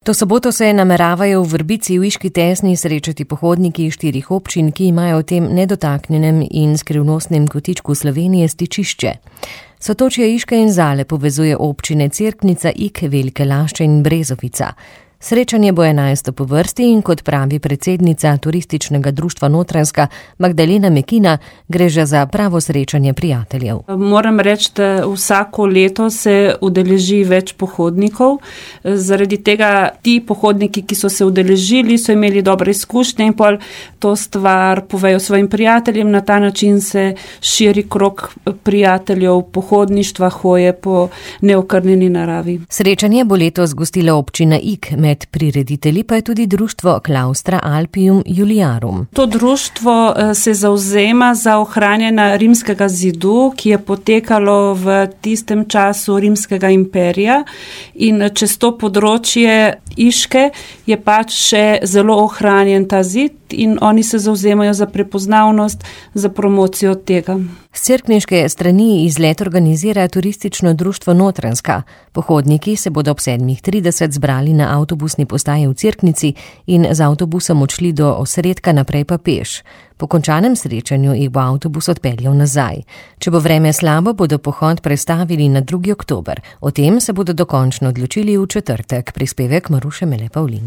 To soboto se nameravajo v Vrbici v Iški Tesni srečati pohodniki 4 občin, ki imajo v tem nedotaknjenem in skrivnostnem kotičku Slovenije stičišče. Sotočje Iške in Zale povezuje občine Cerknica, Ig, Velike Lašče in Brezovica. Srečanje bo 11. po vrsti in kot pravi predsednica Turističnega društva Notranjska Magdalena Mekina, gre že za pravo srečanje prijateljev. Moram reči, da vsako leto se udeleži več pohodnikov. Zaradi tega ti pohodniki, ki so se udeležili, so imeli dobre izkušnje in pol to stvar povejo svojim prijateljem. Na ta način se širi krog prijateljev, pohodništva, hoje po neokrnjeni naravi. Srečanje bo letos gostila občina Ig. Med prireditelji pa je tudi društvo Claustra Alpium Juliarum. To društvo se zavzema za ohranjanje rimskega zidu, ki je potekalo v tistem času rimskega imperija, in čez to področje Iške je pač še zelo ohranjen ta zid in oni se zavzemajo za prepoznavnost, za promocijo tega. S cerkniške strani izlet organizira Turistično društvo Notranjska. Pohodniki se bodo ob 7:30 zbrali na avtobusni postaji v Cerknici in z avtobusom odšli do osredka, naprej pa peš. Po končanem srečanju jih bo avtobus odpeljal nazaj. Če bo vreme slabo, bodo pohod prestavili na 2. oktober. O tem se bodo dokončno odločili v četrtek. Prispevek Maruše Mele Pavlin.